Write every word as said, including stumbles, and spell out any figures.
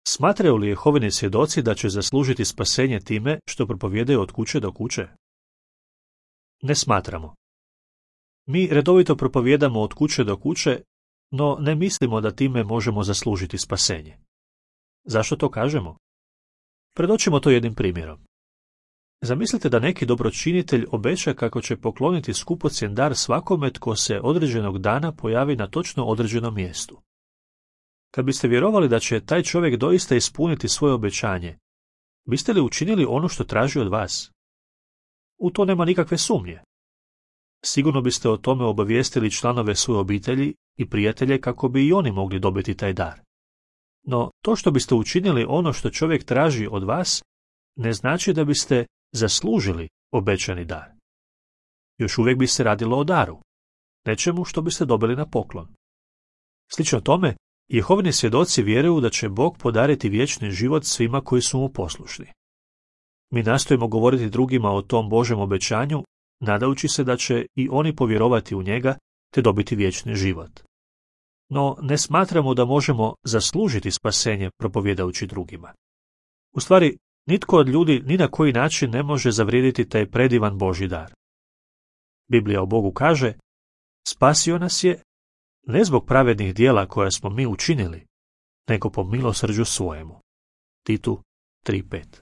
Smatraju li Jehovini svjedoci da će zaslužiti spasenje time što propovijedaju od kuće do kuće? Ne smatramo. Mi redovito propovijedamo od kuće do kuće, no ne mislimo da time možemo zaslužiti spasenje. Zašto to kažemo? Predočimo to jednim primjerom. Zamislite da neki dobročinitelj obeća kako će pokloniti skupocjen dar svakome tko se određenog dana pojavi na točno određenom mjestu. Kad biste vjerovali da će taj čovjek doista ispuniti svoje obećanje, biste li učinili ono što traži od vas? U to nema nikakve sumnje. Sigurno biste o tome obavijestili članove svoje obitelji i prijatelje kako bi i oni mogli dobiti taj dar. No, to što biste učinili ono što čovjek traži od vas, ne znači da biste zaslužili obećani dar. Još uvijek bi se radilo o daru, nečemu što biste dobili na poklon. Slično tome, Jehovini svjedoci vjeruju da će Bog podariti vječni život svima koji su mu poslušni. Mi nastojimo govoriti drugima o tom Božjem obećanju, nadajući se da će i oni povjerovati u njega te dobiti vječni život. No, ne smatramo da možemo zaslužiti spasenje propovjedajući drugima. U stvari, nitko od ljudi ni na koji način ne može zavrijediti taj predivan Božji dar. Biblija o Bogu kaže, spasio nas je ne zbog pravednih djela koja smo mi učinili, nego po milosrđu svojemu. Titu tri pet.